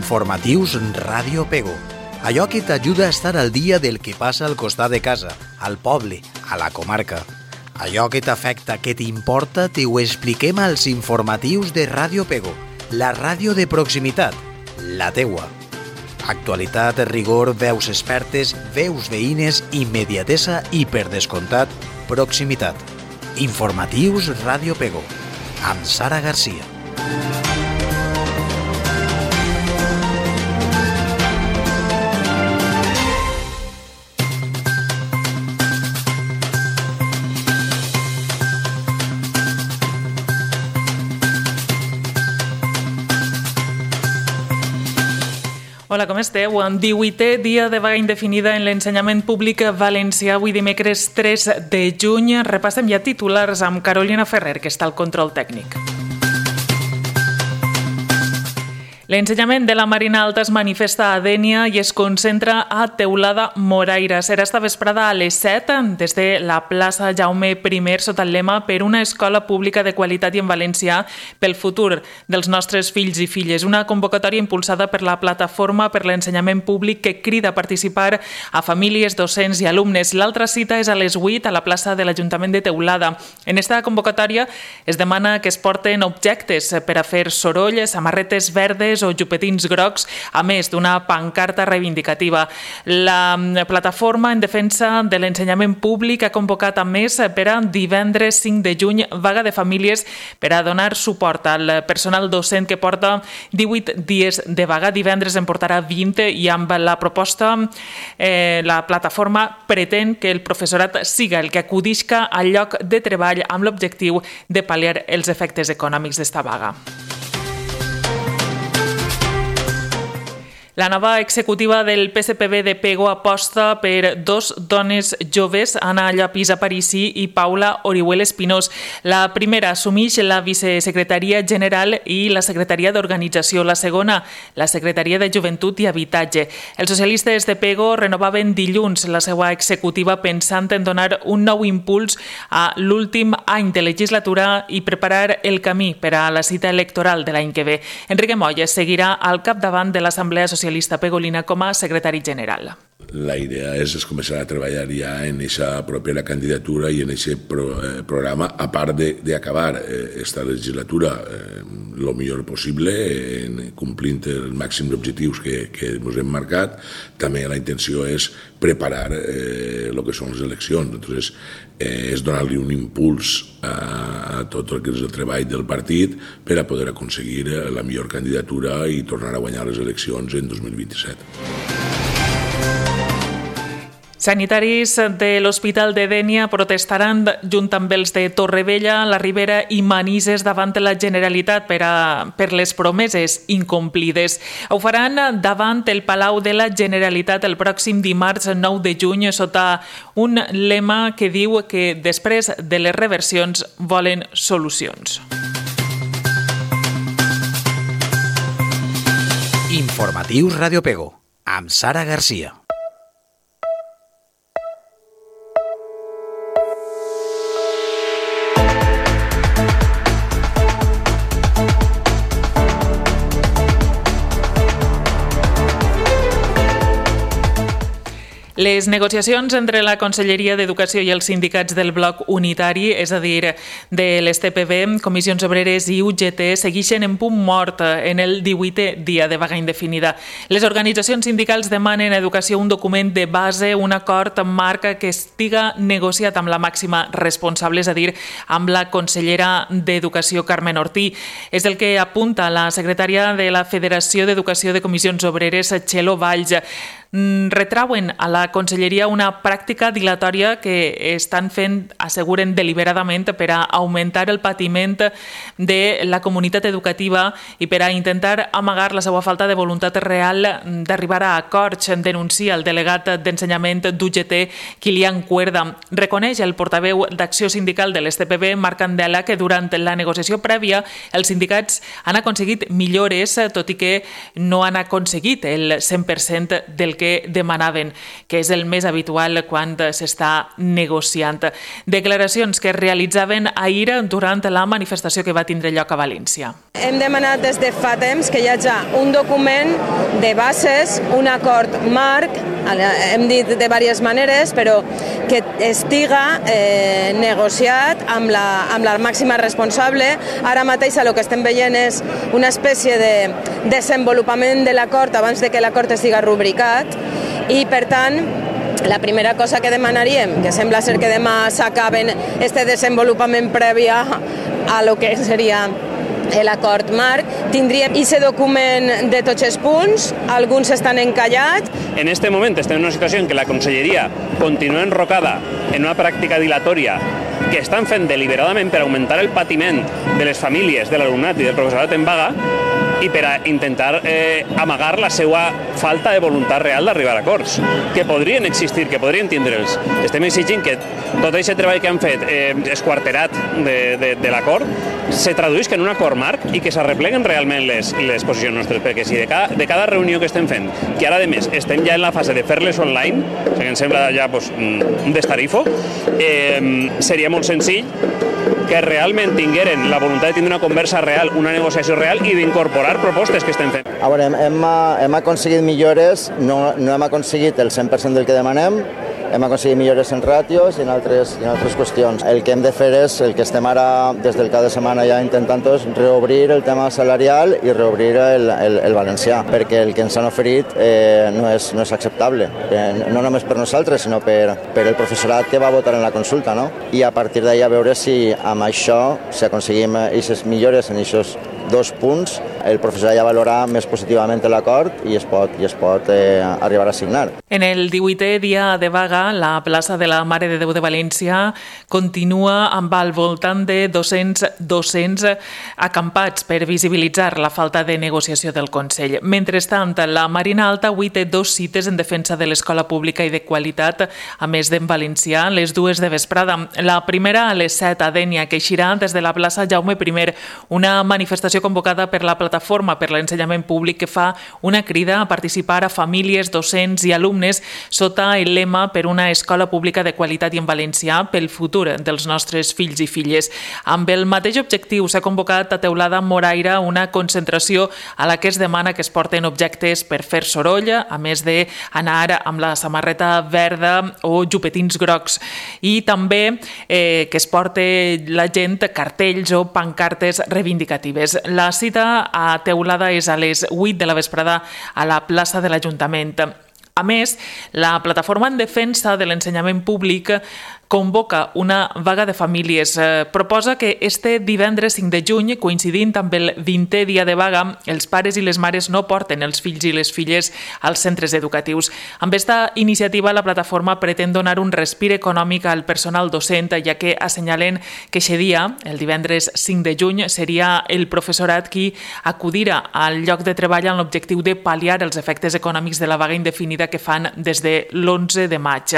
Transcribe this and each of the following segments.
Informatius Ràdio Pego. Allò que t'ajuda a estar al dia del que passa al costat de casa, al poble, a la comarca. Allò que t'afecta, que t'importa, t'ho expliquem als informatius de Ràdio Pego, la ràdio de proximitat, la teua. Actualitat, rigor, veus expertes, veus veïnes, immediatesa i, per descomptat, proximitat. Informatius Ràdio Pego, amb Sara Garcia. Hola, com esteu? 18è dia de vaga indefinida en l'ensenyament públic valencià, avui dimecres 3 de juny. Repassem ja titulars amb Carolina Ferrer, que està al control tècnic. L'ensenyament de la Marina Alta es manifesta a Dénia i es concentra a Teulada Moraira. Serà esta vesprada a les 7 des de la plaça Jaume I sota el lema per una escola pública de qualitat i en valencià pel futur dels nostres fills i filles. Una convocatòria impulsada per la Plataforma per l'Ensenyament Públic que crida a participar a famílies, docents i alumnes. L'altra cita és a les 8 a la plaça de l'Ajuntament de Teulada. En esta convocatòria es demana que es porten objectes per a fer soroll, samarretes verdes o jupetins grocs, a més d'una pancarta reivindicativa. La Plataforma en Defensa de l'Ensenyament Públic ha convocat a més per a divendres 5 de juny vaga de famílies per a donar suport al personal docent que porta 18 dies de vaga. Divendres en portarà 20 i amb la proposta la Plataforma pretén que el professorat siga el que acudisca al lloc de treball amb l'objectiu de pal·liar els efectes econòmics d'esta vaga. La nova executiva del PSPB de Pego aposta per dos dones joves, Anna Llopis Aparici i Paula Orihuel Espinós. La primera assumeix la vicesecretaria general i la secretaria d'organització. La segona, la secretaria de joventut i habitatge. Els socialistes de Pego renovaven dilluns la seva executiva pensant en donar un nou impuls a l'últim any de legislatura i preparar el camí per a la cita electoral de l'any que ve. Enrique Moya seguirà al capdavant de l'Assemblea Socialista Pegolina com a secretari general. La idea és començar a treballar ja en aquesta propera candidatura i en aquest programa, a part d'acabar aquesta legislatura el millor possible, complint els màxims objectius que ens hem marcat. També la intenció és preparar el que són les eleccions. Entonces, és donar-li un impuls a tot el que és el treball del partit per a poder aconseguir la millor candidatura i tornar a guanyar les eleccions en 2027. Sanitaris de l'Hospital de Dénia protestaran junt amb els de Torrevella, la Ribera i Manises davant la Generalitat per les promeses incomplides. Ho faran davant el Palau de la Generalitat el pròxim dimarts 9 de juny sota un lema que diu que després de les reversions volen solucions. Informatius Ràdio Pego, amb Sara Garcia. Les negociacions entre la Conselleria d'Educació i els sindicats del bloc unitari, és a dir, de l'STPB, Comissions Obreres i UGT, segueixen en punt mort en el 18è dia de vaga indefinida. Les organitzacions sindicals demanen a Educació un document de base, un acord marc que estiga negociat amb la màxima responsable, és a dir, amb la consellera d'Educació, Carmen Ortí. És el que apunta la secretària de la Federació d'Educació de Comissions Obreres, Txelo Valls. Retrauen a la Conselleria una pràctica dilatòria que estan fent, asseguren deliberadament, per a augmentar el patiment de la comunitat educativa i per a intentar amagar la seva falta de voluntat real d'arribar a acords, denuncia el delegat d'ensenyament d'UGT, Kilian Cuerda. Reconeix el portaveu d'Acció Sindical de l'STPB, Marc Candela, que durant la negociació prèvia els sindicats han aconseguit millores, tot i que no han aconseguit el 100% del el que demanaven, que és el més habitual quan s'està negociant. Declaracions que es realitzaven ahir durant la manifestació que va tindre lloc a València. Hem demanat des de fa temps que hi hagi un document de bases, un acord marc, hem dit de diverses maneres, però que estiga negociat amb la màxima responsable. Ara mateix el que estem veient és una espècie de desenvolupament de l'acord abans de que l'acord estigui rubricat i, per tant, la primera cosa que demanaríem, que sembla ser que demà s'acaben este desenvolupament previ a lo que seria l'acord marc, tindríem aquest document de tots els punts, alguns estan encallats. En este moment estem en una situació en què la Conselleria continua enrocada en una pràctica dilatòria que estan fent deliberadament per augmentar el patiment de les famílies, de l'alumnat i del professorat en vaga i per a intentar amagar la seva falta de voluntat real d'arribar a acords, que podrien existir, que podrien tindre'ls. Estem exigint que tot aquest treball que han fet esquarterat de l'acord se traduïsca en un acord marc i que s'arrepleguen realment les posicions nostres, perquè si de cada reunió que estem fent, que ara a més estem ja en la fase de fer-les online, que em sembla ja un destarifo, seria molt senzill que realment tingueren la voluntat de tindre una conversa real, una negociació real i d'incorporar propostes que estem fent. A veure, hem aconseguit millores, no hem aconseguit el 100% del que demanem, hem aconseguit millores en ràtios i en altres qüestions. El que hem de fer és, el que estem ara des del cap de setmana ja intentant és reobrir el tema salarial i reobrir el valencià, perquè el que ens han oferit no és acceptable, no només per nosaltres, sinó per el professorat que va votar en la consulta, no? I a partir d'ahir a veure si amb això, si aconseguim aquestes millores en aquests 2 punts, el professorat ja valora més positivament l'acord i es pot arribar a signar. En el 18è dia de vaga, la plaça de la Mare de Déu de València continua amb al voltant de 200 docents acampats per visibilitzar la falta de negociació del Consell. Mentrestant, la Marina Alta avui té 2 cites en defensa de l'escola pública i de qualitat, a més d'en valencià, les 2 de vesprada. La primera a les 7 a Dénia, que eixirà des de la plaça Jaume I, una manifestació convocada per la Plataforma per l'Ensenyament Públic que fa una crida a participar a famílies, docents i alumnes sota el lema per una escola pública de qualitat i en valencià pel futur dels nostres fills i filles. Amb el mateix objectiu s'ha convocat a Teulada Moraira una concentració a la que es demana que es porten objectes per fer soroll, a més d'anar amb la samarreta verda o jupetins grocs, i també que es porte la gent cartells o pancartes reivindicatives. La cita a Teulada és a les 8 de la vesprada a la plaça de l'Ajuntament. A més, la Plataforma en Defensa de l'Ensenyament Públic convoca una vaga de famílies. Proposa que este divendres 5 de juny, coincidint amb el 20è dia de vaga, els pares i les mares no porten els fills i les filles als centres educatius. Amb aquesta iniciativa, la plataforma pretén donar un respir econòmic al personal docent, ja que assenyalen que aquest dia, el divendres 5 de juny, seria el professorat qui acudirà al lloc de treball amb l'objectiu de pal·liar els efectes econòmics de la vaga indefinida que fan des de l'11 de maig.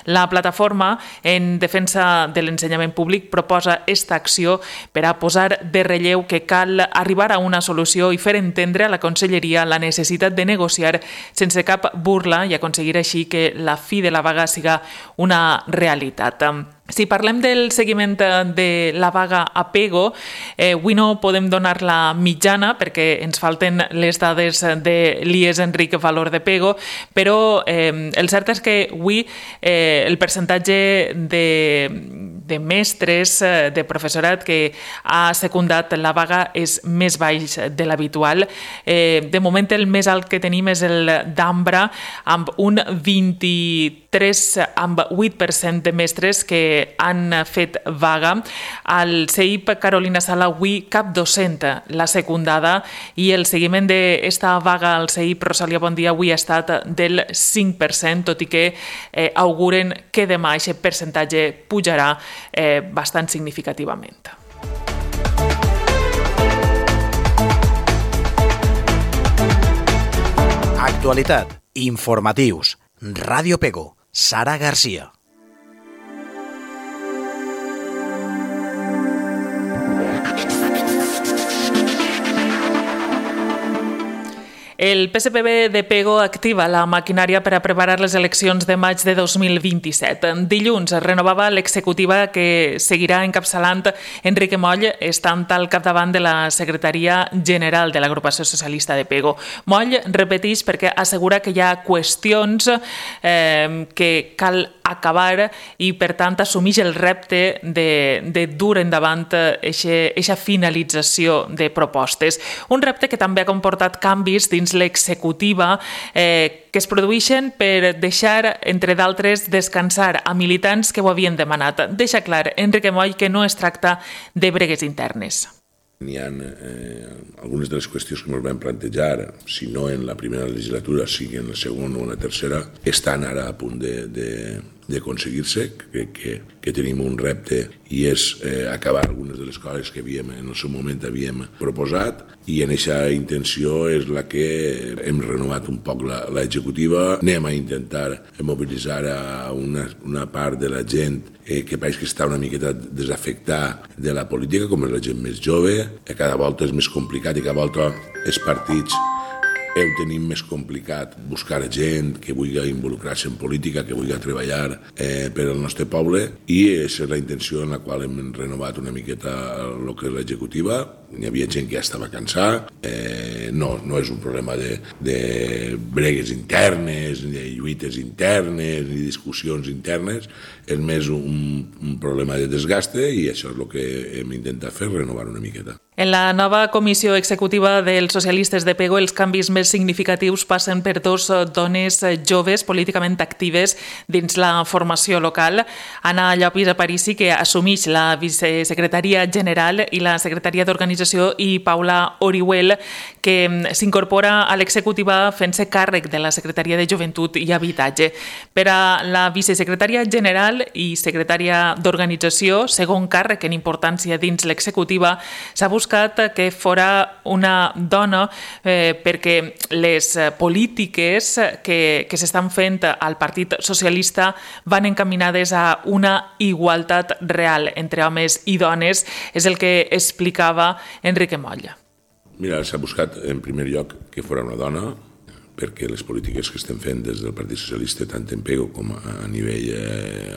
La plataforma en defensa de l'ensenyament públic proposa esta acció per a posar de relleu que cal arribar a una solució i fer entendre a la Conselleria la necessitat de negociar sense cap burla i aconseguir així que la fi de la vaga siga una realitat. Si parlem del seguiment de la vaga a Pego, avui no podem donar la mitjana perquè ens falten les dades de l'IES Enric Valor de Pego, però el cert és que avui el percentatge de mestres, de professorat que ha secundat la vaga és més baix de l'habitual. De moment el més alt que tenim és el d'Ambra, amb un 23,8% de mestres que han fet vaga. Al CEIP Carolina Sala avui cap docent l'ha secundada i el seguiment d'esta vaga al CEIP Rosalia Bondia avui ha estat del 5%, tot i que auguren que demà aquest percentatge pujarà bastant significativament. Actualitat, informatius, Ràdio Pego, Sara Garcia. El PSPB de Pego activa la maquinària per a preparar les eleccions de maig de 2027. Dilluns es renovava l'executiva que seguirà encapçalant Enrique Moll, estant al capdavant de la Secretaria General de l'Agrupació Socialista de Pego. Moll repeteix perquè assegura que hi ha qüestions que cal acabar i, per tant, assumeix el repte de dur endavant aquesta finalització de propostes. Un repte que també ha comportat canvis dins l'executiva que es produeixen per deixar, entre d'altres, descansar a militants que ho havien demanat. Deixa clar Enrique Moll que no es tracta de bregues internes. Hi ha algunes de les qüestions que ens vam plantejar, si no en la primera legislatura, sigui en la segona o en la tercera, estan ara a punt d'aconseguir-se. Crec que tenim un repte i és acabar algunes de les coses que en el seu moment havíem proposat, i en aquesta intenció és la que hem renovat un poc l'executiva. Anem a intentar mobilitzar a una part de la gent que pareix que està una miqueta desafectada de la política, com és la gent més jove. Cada volta és més complicat i cada volta els partits tenim més complicat buscar gent que vulgui involucrar-se en política, que vulgui treballar per al nostre poble, i aquesta és la intenció en la qual hem renovat una miqueta el que és l'executiva. Hi havia gent que ja estava cansada. No és un problema de bregues internes, ni de lluites internes, ni discussions internes, és més un problema de desgaste, i això és el que hem intentat fer, renovar una miqueta. En la nova comissió executiva dels socialistes de Pego, els canvis més significatius passen per dos dones joves políticament actives dins la formació local. Anna Llopis Aparici, que assumeix la vicesecretaria general i la secretaria d'organització, i Paula Orihuel, que s'incorpora a l'executiva fent-se càrrec de la secretaria de Joventut i Habitatge. Per a la vicesecretària general i secretària d'organització, segon càrrec en importància dins l'executiva, s'ha buscat que fora una dona perquè les polítiques que s'estan fent al Partit Socialista van encaminades a una igualtat real entre homes i dones, és el que explicava Enrique Moll. Mira, s'ha buscat en primer lloc que fora una dona, perquè les polítiques que estem fent des del Partit Socialista, tant en Pego com a nivell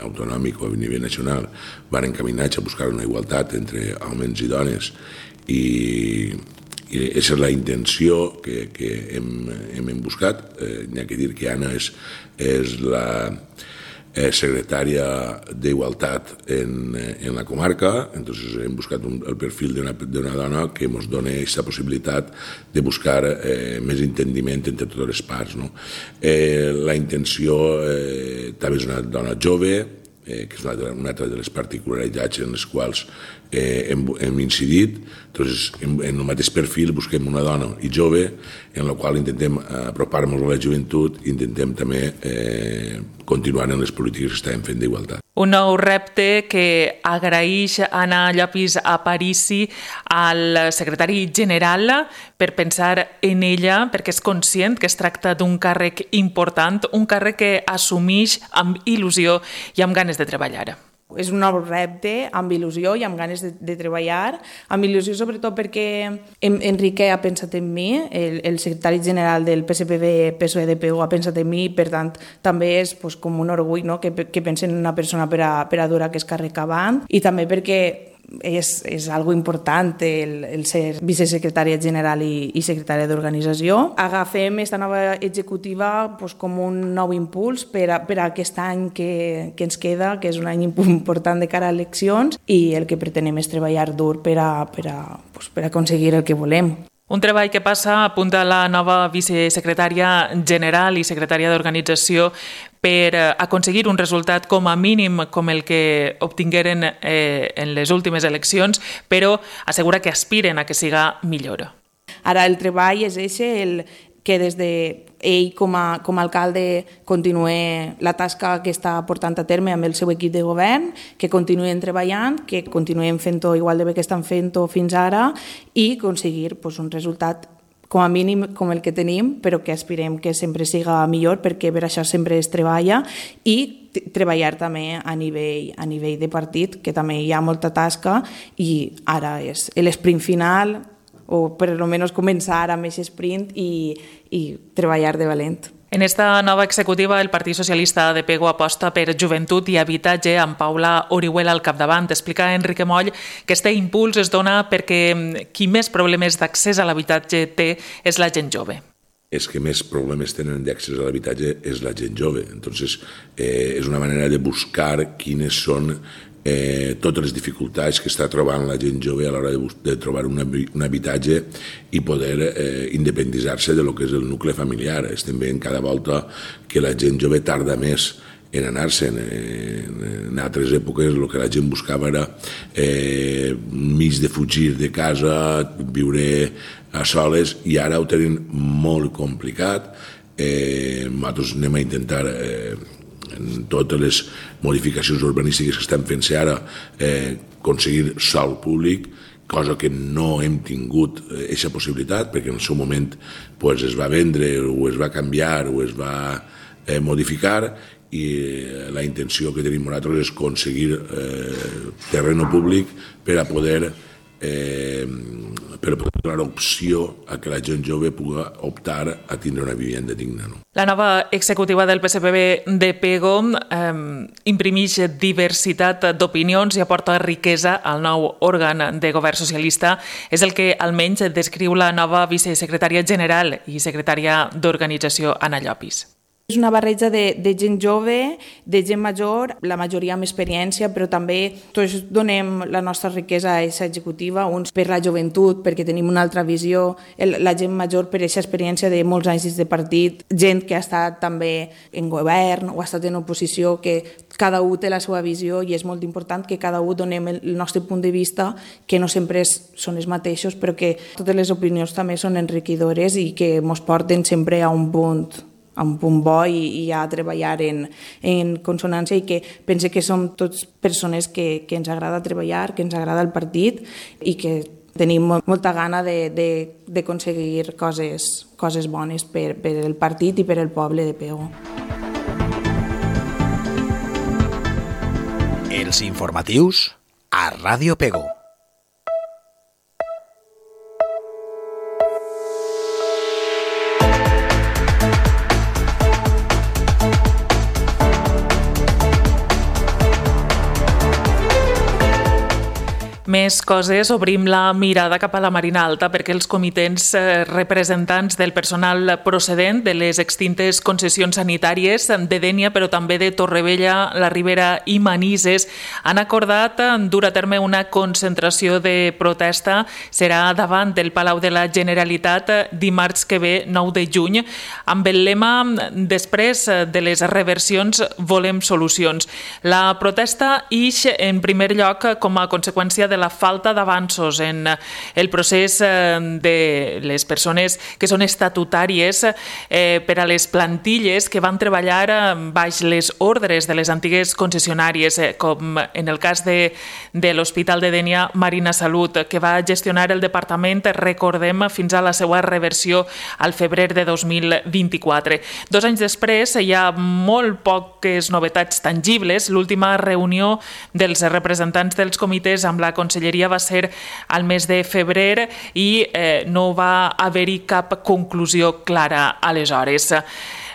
autonòmic o a nivell nacional, van encaminats a buscar una igualtat entre homes i dones, i aquesta és la intenció que hem buscat. N'hi ha que dir que Anna és la secretària d'Igualtat en la comarca, entonces hem buscat el perfil d'una dona que ens doni aquesta possibilitat de buscar més entendiment entre totes les parts. La intenció també és una dona jove, que és una altra de les particularitats en les quals hem incidit. Entonces, en el mateix perfil busquem una dona i jove, en la qual intentem apropar-nos a la joventut i intentem també continuar en les polítiques que estem fent d'igualtat. Un nou repte que agraeix Anna Llopis Aparici al secretari general per pensar en ella, perquè és conscient que es tracta d'un càrrec important, un càrrec que assumeix amb il·lusió i amb ganes de treballar. És un nou repte, amb il·lusió i amb ganes de treballar, amb il·lusió sobretot perquè Enrique ha pensat en mi, el secretari general del PSPB-PSOE de Pego ha pensat en mi, per tant també és com un orgull que pensen en una persona per a dur aquest càrrec avant, i també perquè és algo important el ser vicesecretària general i secretària d'organització. Agafem aquesta nova executiva com un nou impuls per a aquest any que ens queda, que és un any important de cara a eleccions, i el que pretenem és treballar dur per a aconseguir el que volem. Un treball que passa, apunta la nova vicesecretària general i secretària d'organització, per aconseguir un resultat com a mínim com el que obtingueren en les últimes eleccions, però assegura que aspiren a que siga millor. Ara el treball és que des d'ell com a alcalde continuï la tasca que està portant a terme amb el seu equip de govern, que continuïn treballant, que continuïn fent-ho igual de bé que estan fent-ho fins ara, i aconseguir un resultat com a mínim com el que tenim, però que aspirem que sempre siga millor, perquè per això sempre es treballa, i treballar també a nivell de partit, que també hi ha molta tasca, i ara és l'esprint final, o per almenys començar amb aquest sprint i treballar de valent. En esta nova executiva, el Partit Socialista de Pego aposta per joventut i habitatge amb Paula Orihuela al capdavant. Explica Enrique Moll que este impuls es dona perquè qui més problemes d'accés a l'habitatge té és la gent jove. Els que més problemes tenen d'accés a l'habitatge és la gent jove. Entonces, és una manera de buscar quines són totes les dificultats que està trobant la gent jove a l'hora de trobar un habitatge i poder independitzar-se de lo que és el nucli familiar. Estem veient cada volta que la gent jove tarda més en anar-se'n. En altres èpoques el que la gent buscava era mig de fugir de casa, viure a soles, i ara ho tenen molt complicat. Nosaltres anem a intentar en totes les modificacions urbanístiques que estan fent-se ara aconseguir sòl públic, cosa que no hem tingut aquesta possibilitat perquè en el seu moment es va vendre o es va canviar o es va modificar, i la intenció que tenim nosaltres és aconseguir terreno públic per a poder donar opció a que la gent jove pugui optar a tindre una vivenda digna. La nova executiva del PSPB de Pego imprimeix diversitat d'opinions i aporta riquesa al nou òrgan de govern socialista. És el que almenys descriu la nova vicesecretària general i secretària d'organització, Anna Llopis. És una barreja de gent jove, de gent major, la majoria amb experiència, però també tots donem la nostra riquesa a aquesta executiva, uns per la joventut, perquè tenim una altra visió, la gent major per aquesta experiència de molts anys dins de partit, gent que ha estat també en govern o ha estat en oposició, que cada un té la seva visió i és molt important que cada un donem el nostre punt de vista, que no sempre són els mateixos, però que totes les opinions també són enriquidores i que ens porten sempre a un punt bo i a treballar en consonància, i que pense que som tots persones que ens agrada treballar, que ens agrada el partit i que tenim molta gana d'aconseguir coses bones per el partit i per el poble de Pego. Els informatius a Ràdio Pego. Més coses, obrim la mirada cap a la Marina Alta perquè els comitents representants del personal procedent de les extintes concessions sanitàries de Dénia, però també de Torrevella, la Ribera i Manises, han acordat dur a terme una concentració de protesta. Serà davant del Palau de la Generalitat dimarts que ve, 9 de juny, amb el lema "Després de les reversions volem solucions". La protesta ix en primer lloc com a conseqüència de la falta d'avanços en el procés de les persones que són estatutàries per a les plantilles que van treballar baix les ordres de les antigues concessionàries, com en el cas de l'Hospital de Dénia Marina Salut, que va gestionar el departament, recordem, fins a la seva reversió al febrer de 2024. 2 anys després hi ha molt poques novetats tangibles. L'última reunió dels representants dels comitès amb la Conselleria va ser al mes de febrer i no va haver-hi cap conclusió clara aleshores.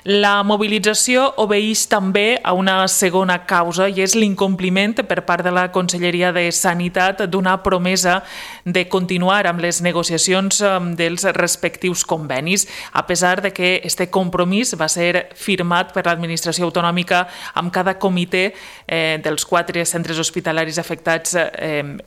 La mobilització obeeix també a una segona causa i és l'incompliment per part de la Conselleria de Sanitat d'una promesa de continuar amb les negociacions dels respectius convenis, a pesar de que este compromís va ser firmat per l'administració autonòmica amb cada comitè dels 4 centres hospitalaris afectats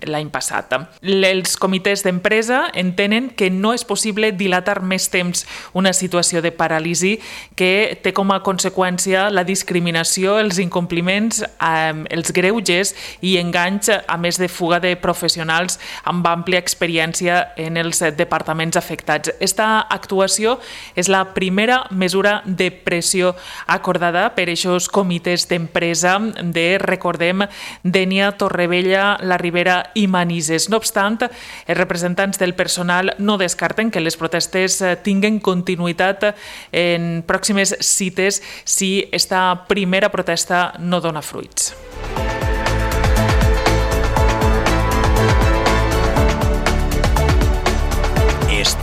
l'any passat. Els comitès d'empresa entenen que no és possible dilatar més temps una situació de paràlisi que té com a conseqüència la discriminació, els incompliments, els greuges i enganys, a més de fuga de professionals amb àmplia experiència en els departaments afectats. Esta actuació és la primera mesura de pressió acordada per aquests comitès d'empresa de, recordem, Dénia, Torrevella, la Ribera i Manises. No obstant, els representants del personal no descarten que les protestes tinguen continuïtat en pròximes cites si esta primera protesta no dona fruits.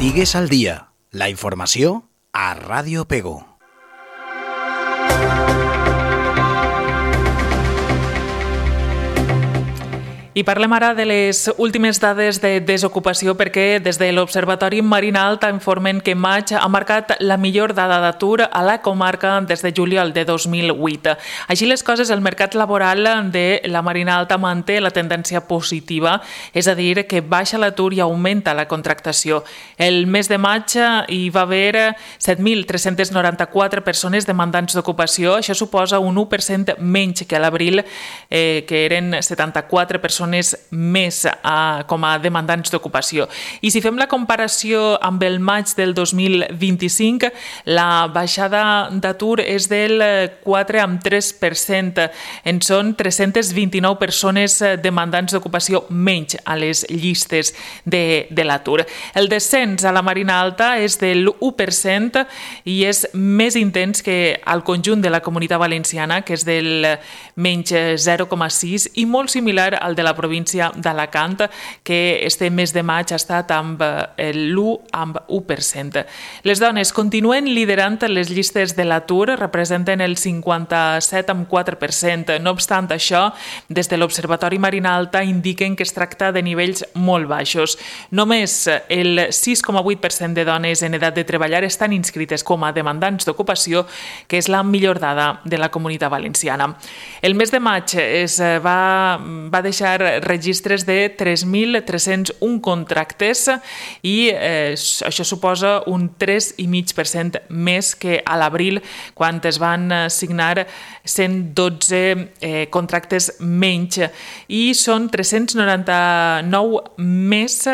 Estigues al dia. La informació a Ràdio Pego. I parlem ara de les últimes dades de desocupació perquè des de l'Observatori Marina Alta informen que maig ha marcat la millor dada d'atur a la comarca des de juliol de 2008. Així les coses, el mercat laboral de la Marina Alta manté la tendència positiva, és a dir, que baixa l'atur i augmenta la contractació. El mes de maig hi va haver 7.394 persones demandants d'ocupació, això suposa un 1% menys que a l'abril, que eren 74 persones més com a demandants d'ocupació. I si fem la comparació amb el maig del 2025, la baixada d'atur és del 4,3%. En són 329 persones demandants d'ocupació menys a les llistes de l'atur. El descens a la Marina Alta és del 1% i és més intens que al conjunt de la Comunitat Valenciana, que és del menys 0,6%, i molt similar al de la província d'Alacant, que este mes de maig ha estat amb l'1%. Les dones continuen liderant les llistes de l'atur, representen el 57,4%. No obstant això, des de l'Observatori Marina Alta indiquen que es tracta de nivells molt baixos. Només el 6,8% de dones en edat de treballar estan inscrites com a demandants d'ocupació, que és la millor dada de la Comunitat Valenciana. El mes de maig va deixar registres de 3.301 contractes i això suposa un 3,5% més que a l'abril, quan es van signar 112 contractes menys, i són 399 més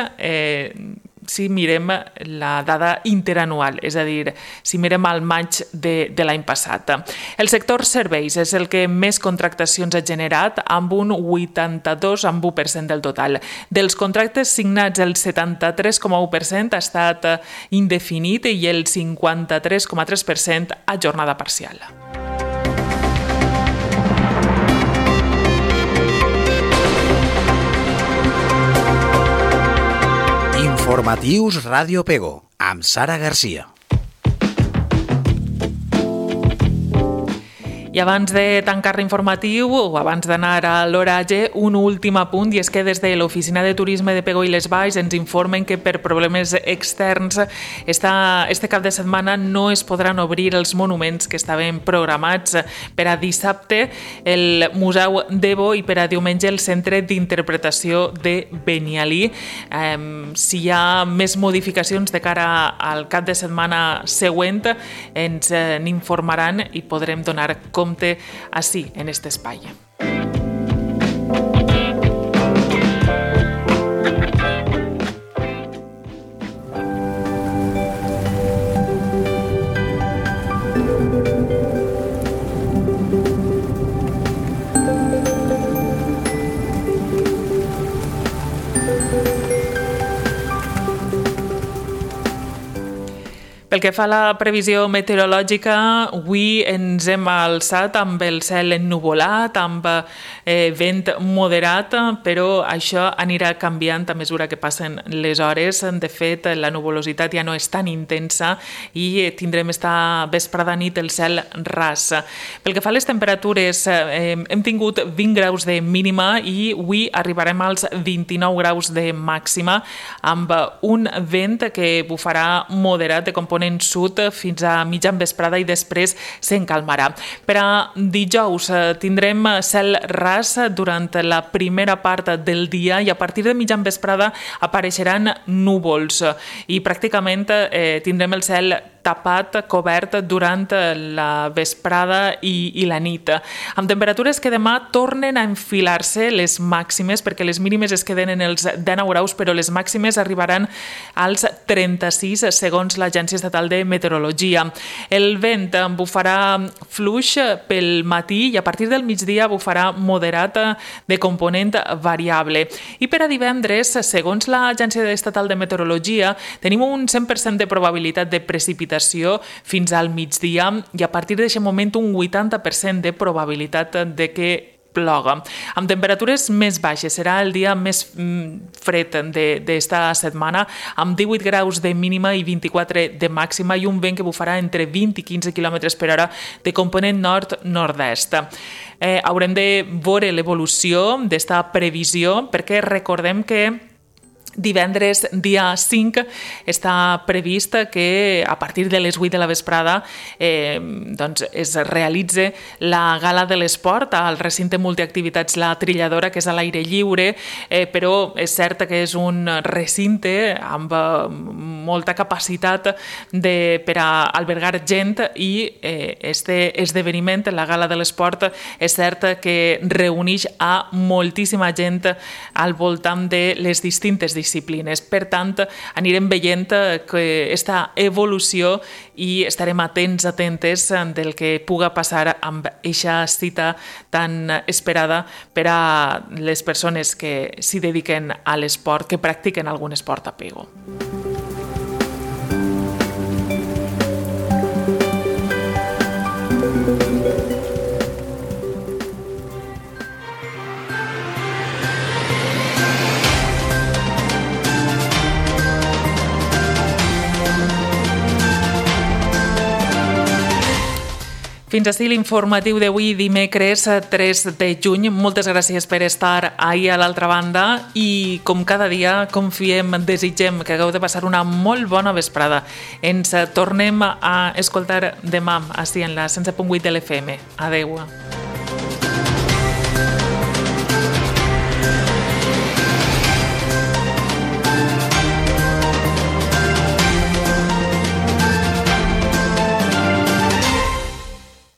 si mirem la dada interanual, és a dir, si mirem al maig de l'any passat. El sector serveis és el que més contractacions ha generat, amb un 82,1% del total. Dels contractes signats, el 73,1% ha estat indefinit i el 53,3% a jornada parcial. Informatius Ràdio Pego, amb Sara Garcia. I abans de tancar l'informatiu, o abans d'anar a l'oratge, un últim apunt, i és que des de l'Oficina de Turisme de Pego i les Valls ens informen que per problemes externs este cap de setmana no es podran obrir els monuments que estaven programats per a dissabte, el Museu d'Evo, i per a diumenge el Centre d'Interpretació de Benialí. Si hi ha més modificacions de cara al cap de setmana següent, ens n'informaran i podrem donar compte així, en aquest espai. Pel que fa a la previsió meteorològica, avui ens hem alçat amb el cel ennuvolat, amb vent moderat, però això anirà canviant a mesura que passen les hores. De fet, la nuvolositat ja no és tan intensa i tindrem esta vesprada nit el cel ras. Pel que fa a les temperatures, hem tingut 20 graus de mínima i avui arribarem als 29 graus de màxima, amb un vent que bufarà moderat de component sud fins a mitjan vesprada i després s'encalmarà. Per a dijous tindrem cel ras durant la primera part del dia i a partir de mitjan vesprada apareixeran núvols i pràcticament tindrem el cel tapat, cobert durant la vesprada i la nit. Amb temperatures que demà tornen a enfilar-se les màximes, perquè les mínimes es queden en els 19 graus, però les màximes arribaran als 36 segons l'Agència Estatal de Meteorologia. El vent bufarà fluix pel matí i a partir del migdia bufarà moderat de component variable. I per a divendres, segons l'Agència Estatal de Meteorologia, tenim un 100% de probabilitat de precipitació fins al migdia i a partir d'aquest moment un 80% de probabilitat de que ploga. Amb temperatures més baixes, serà el dia més fred d'esta setmana, amb 18 graus de mínima i 24 de màxima i un vent que bufarà entre 20 i 15 km per hora de component nord-nord-est. Haurem de veure l'evolució d'esta previsió perquè recordem que divendres, dia 5, està previst que a partir de les 8 de la vesprada es realitzi la gala de l'esport al recinte multiactivitats La Trilladora, que és a l'aire lliure, però és cert que és un recinte amb molta capacitat per a albergar gent i este esdeveniment, la gala de l'esport, és cert que reuneix a moltíssima gent al voltant de les distintes disciplines. Per tant, anirem veient aquesta evolució i estarem atentes del que puga passar amb aquesta cita tan esperada per a les persones que s'hi dediquen a l'esport, que practiquen algun esport a Pego. Fins així l'informatiu d'avui, dimecres 3 de juny. Moltes gràcies per estar ahir a l'altra banda i, com cada dia, confiem, desitgem que hagueu de passar una molt bona vesprada. Ens tornem a escoltar demà, així en la 107.8 de l'FM. Adeu.